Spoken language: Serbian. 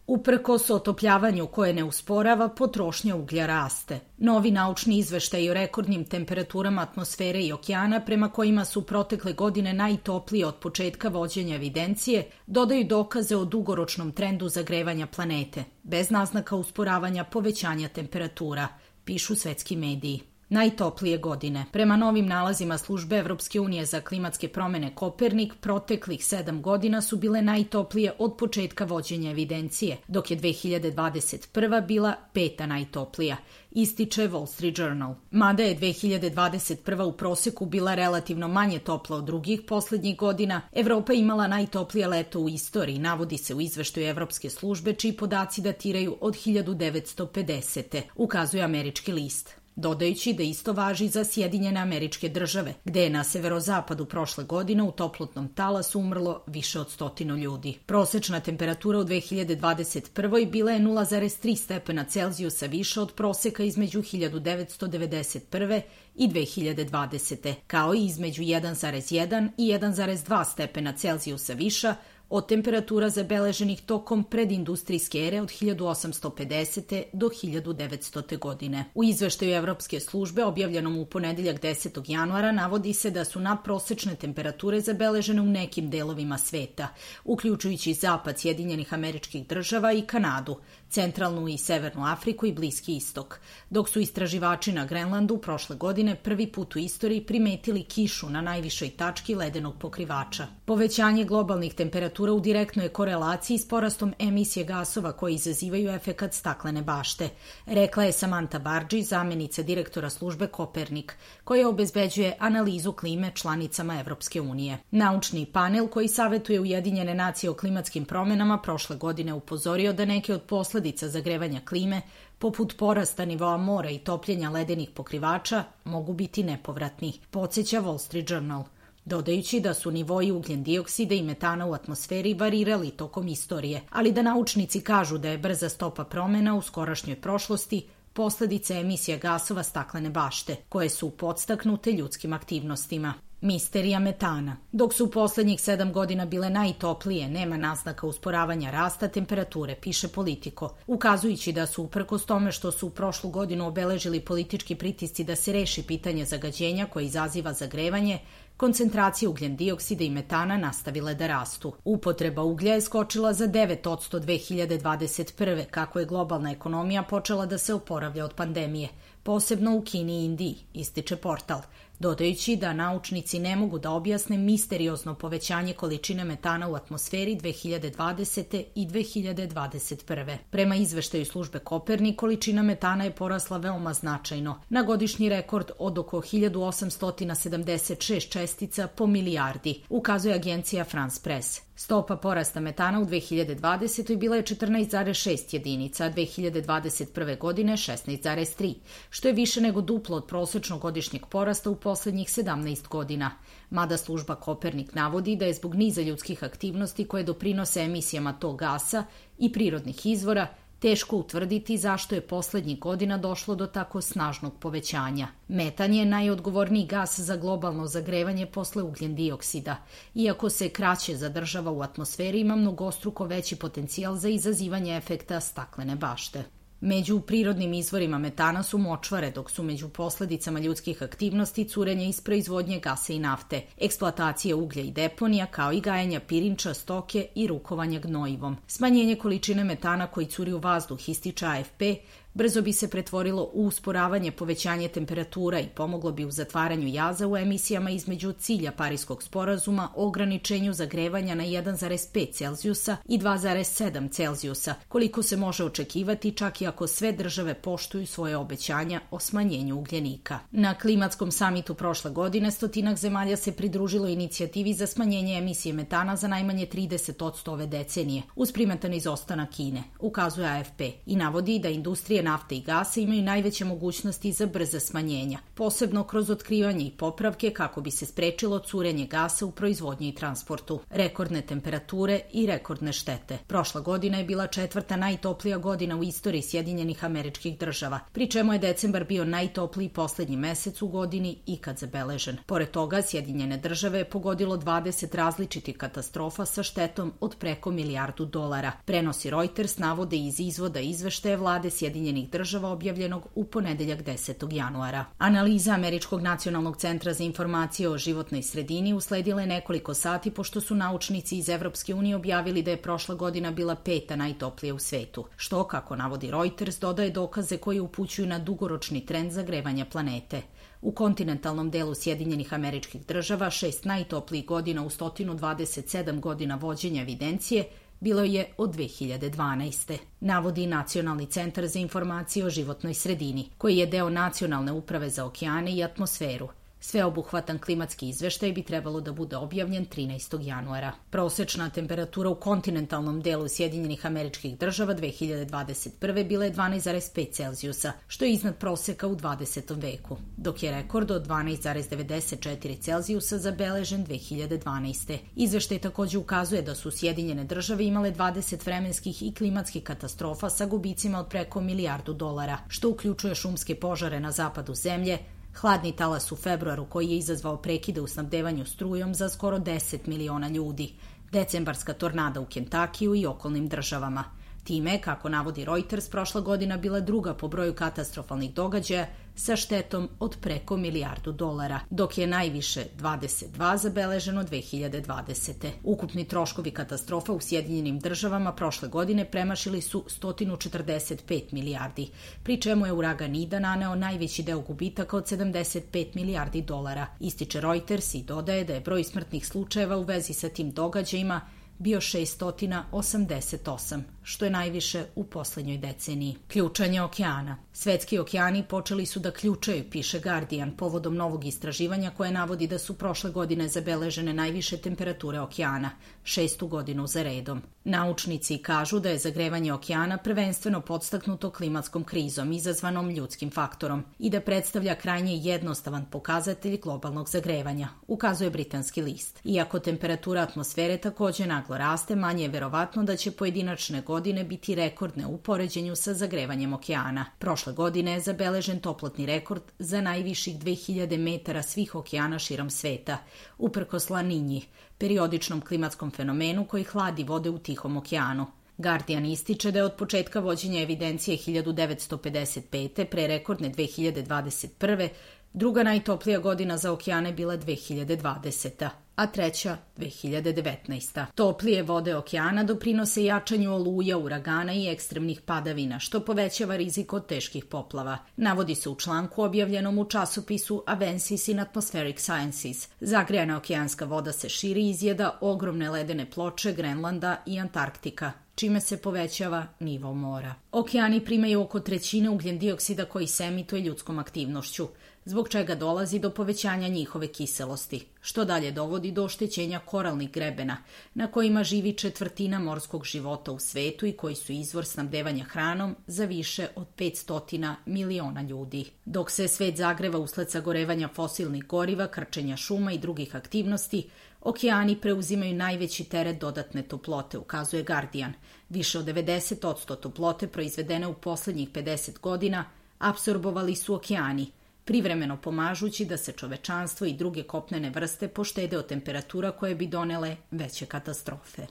Uprkos otopljavanju koje ne usporava, potrošnja uglja raste. Novi naučni izveštaj o rekordnim temperaturama atmosfere i okeana, prema kojima su protekle godine najtoplije od početka vođenja evidencije, dodaju dokaze o dugoročnom trendu zagrevanja planete, bez naznaka usporavanja povećanja temperatura, pišu svetski mediji. Najtoplije godine. Prema novim nalazima službe Evropske unije za klimatske promene Kopernik, proteklih 7 godina su bile najtoplije od početka vođenja evidencije, dok je 2021. bila 5. najtoplija, ističe Wall Street Journal. Mada je 2021. u proseku bila relativno manje topla od drugih poslednjih godina, Evropa imala najtoplije leto u istoriji, navodi se u izveštaju Evropske službe, čiji podaci datiraju od 1950. ukazuje Američki list. Dodajući da isto važi za Sjedinjene Američke Države, gde je na severozapadu prošle godine u toplotnom talasu umrlo više od 100 ljudi. Prosečna temperatura u 2021. bila je 0,3 stepena Celzijusa više od proseka između 1991. i 2020. kao i između 1,1 i 1,2 stepena Celzijusa viša od temperatura zabeleženih tokom predindustrijske ere od 1850. do 1900. godine. U izveštaju Evropske službe objavljenom u ponedeljak 10. januara navodi se da su nadprosečne temperature zabeležene u nekim delovima sveta, uključujući zapad Sjedinjenih Američkih Država i Kanadu, centralnu i severnu Afriku i Bliski istok, dok su istraživači na Grenlandu prošle godine prvi put u istoriji primetili kišu na najvišoj tački ledenog pokrivača. Povećanje globalnih temperatura u direktnoj je korelaciji s porastom emisije gasova koji izazivaju efekat staklene bašte, rekla je Samantha Barđi, zamenica direktora službe Kopernik, koja obezbeđuje analizu klime članicama Evropske unije. Naučni panel koji savetuje Ujedinjene nacije o klimatskim promenama prošle godine upozorio da neke od posledica zagrevanja klime, poput porasta nivoa mora i topljenja ledenih pokrivača, mogu biti nepovratni, podsjeća Wall Street Journal, dodajući da su nivoji ugljen dioksida i metana u atmosferi varirali tokom istorije, ali da naučnici kažu da je brza stopa promena u skorašnjoj prošlosti posledica emisija gasova staklene bašte, koje su podstaknute ljudskim aktivnostima. Misterija metana. Dok su u poslednjih 7 godina bile najtoplije, nema naznaka usporavanja rasta temperature, piše Politico, ukazujući da su uprkos tome što su u prošlu godinu obeležili politički pritisci da se reši pitanje zagađenja koje izaziva zagrevanje, koncentracije ugljen dioksida i metana nastavile da rastu. Upotreba uglja je skočila za 9% 2021. kako je globalna ekonomija počela da se oporavlja od pandemije, posebno u Kini i Indiji, ističe portal, dodajući da naučnici ne mogu da objasne misteriozno povećanje količine metana u atmosferi 2020. i 2021. Prema izveštaju službe Kopernik, količina metana je porasla veoma značajno, na godišnji rekord od oko 1876 čestica po milijardi, ukazuje agencija France Press. Stopa porasta metana u 2020. bila je 14,6 jedinica, a 2021. godine 16,3, što je više nego duplo od prosečnog godišnjeg porasta u poslednjih 17 godina. Mada služba Kopernik navodi da je zbog niza ljudskih aktivnosti koje doprinose emisijama tog gasa i prirodnih izvora teško utvrditi zašto je poslednjih godina došlo do tako snažnog povećanja. Metan je najodgovorniji gas za globalno zagrevanje posle ugljen dioksida. Iako se kraće zadržava u atmosferi, ima mnogostruko veći potencijal za izazivanje efekta staklene bašte. Među prirodnim izvorima metana su močvare, dok su među posledicama ljudskih aktivnosti curenje iz proizvodnje gasa i nafte, eksploatacija uglja i deponija, kao i gajenja pirinča, stoke i rukovanja gnojivom. Smanjenje količine metana koji curi u vazduh, ističe AFP, brzo bi se pretvorilo u usporavanje povećanje temperatura i pomoglo bi u zatvaranju jaza u emisijama između cilja Pariskog sporazuma o ograničenju zagrevanja na 1,5 Celzijusa i 2,7 Celzijusa, koliko se može očekivati čak i ako sve države poštuju svoje obećanja o smanjenju ugljenika. Na klimatskom samitu prošle godine 100 zemalja se pridružilo inicijativi za smanjenje emisije metana za najmanje 30% ove decenije, uz primetan izostanak Kine, ukazuje AFP, i navodi da industrija industrije nafte i gasa imaju najveće mogućnosti za brze smanjenja, posebno kroz otkrivanje i popravke kako bi se sprečilo curenje gasa u proizvodnji i transportu, rekordne temperature i rekordne štete. Prošla godina je bila 4. najtoplija godina u istoriji Sjedinjenih Američkih Država, pri čemu je decembar bio najtopliji poslednji mesec u godini ikad zabeležen. Pored toga, Sjedinjene Države je pogodilo 20 različitih katastrofa sa štetom od preko $1 milijardu. Prenosi Reuters navode iz izvoda izveštaja vlade Sjedinjenih Država objavljenog u ponedeljak 10. januara. Analiza Američkog nacionalnog centra za informacije o životnoj sredini usledila je nekoliko sati pošto su naučnici iz Evropske unije objavili da je prošla godina bila 5. najtoplija u svetu, što, kako navodi Reuters, dodaje dokaze koji upućuju na dugoročni trend zagrevanja planete. U kontinentalnom delu Sjedinjenih Američkih Država 6 najtoplijih godina u 127 godina vođenja evidencije bilo je od 2012. Navodi Nacionalni centar za informacije o životnoj sredini, koji je deo Nacionalne uprave za okeane i atmosferu. Sveobuhvatan klimatski izveštaj bi trebalo da bude objavljen 13. januara. Prosečna temperatura u kontinentalnom delu Sjedinjenih Američkih Država 2021. bila je 12,5 Celzijusa, što je iznad proseka u 20. veku, dok je rekord od 12,94 Celzijusa zabeležen 2012. Izveštaj takođe ukazuje da su Sjedinjene Države imale 20 vremenskih i klimatskih katastrofa sa gubicima od preko $1 milijardu, što uključuje šumske požare na zapadu zemlje, hladni talas u februaru koji je izazvao prekide u snabdevanju strujom za skoro 10 miliona ljudi, decembarska tornada u Kentakiju i okolnim državama. Time, kako navodi Reuters, prošla godina bila druga po broju katastrofalnih događaja sa štetom od preko $1 milijardu, dok je najviše 22 zabeleženo 2020. Ukupni troškovi katastrofa u Sjedinjenim Državama prošle godine premašili su 145 milijardi, pri čemu je uragan Ida naneo najveći deo gubitaka od $75 milijardi, ističe Reuters i dodaje da je broj smrtnih slučajeva u vezi sa tim događajima bio 688, što je najviše u poslednjoj deceniji. Ključanje okeana. Svetski okeani počeli su da ključaju, piše Guardian, povodom novog istraživanja koje navodi da su prošle godine zabeležene najviše temperature okeana, 6. godinu za redom. Naučnici kažu da je zagrevanje okeana prvenstveno podstaknuto klimatskom krizom izazvanom ljudskim faktorom i da predstavlja krajnje jednostavan pokazatelj globalnog zagrevanja, ukazuje britanski list. Iako temperatura atmosfere takođe naglo raste, manje je verovatno da će pojedinačne godine biti rekordne u poređenju sa zagrevanjem okeana. Prošle godine je zabeležen toplotni rekord za najviših 2000 metara svih okeana širom sveta, uprkos La Ninji, periodičnom klimatskom fenomenu koji hladi vode u Tihom okeanu. Guardian ističe da je od početka vođenja evidencije 1955. pre rekordne 2021. druga najtoplija godina za okeane bila 2020. a treća 2019. Toplije vode okeana doprinose jačanju oluja, uragana i ekstremnih padavina, što povećava rizik od teških poplava. Navodi se u članku objavljenom u časopisu Avances in Atmospheric Sciences. Zagrejana okeanska voda se širi i izjeda ogromne ledene ploče Grenlanda i Antarktika, čime se povećava nivo mora. Okeani primaju oko trećine ugljen dioksida koji se emituje ljudskom aktivnošću, zbog čega dolazi do povećanja njihove kiselosti, što dalje dovodi do oštećenja koralnih grebena, na kojima živi 1/4 morskog života u svetu i koji su izvor snabdevanja hranom za više od 500 miliona ljudi. Dok se svet zagreva usled sagorevanja fosilnih goriva, krčenja šuma i drugih aktivnosti, okeani preuzimaju najveći teret dodatne toplote, ukazuje Guardian. Više od 90% toplote proizvedene u poslednjih 50 godina apsorbovali su okeani, privremeno pomažući da se čovečanstvo i druge kopnene vrste poštede od temperatura koje bi donele veće katastrofe.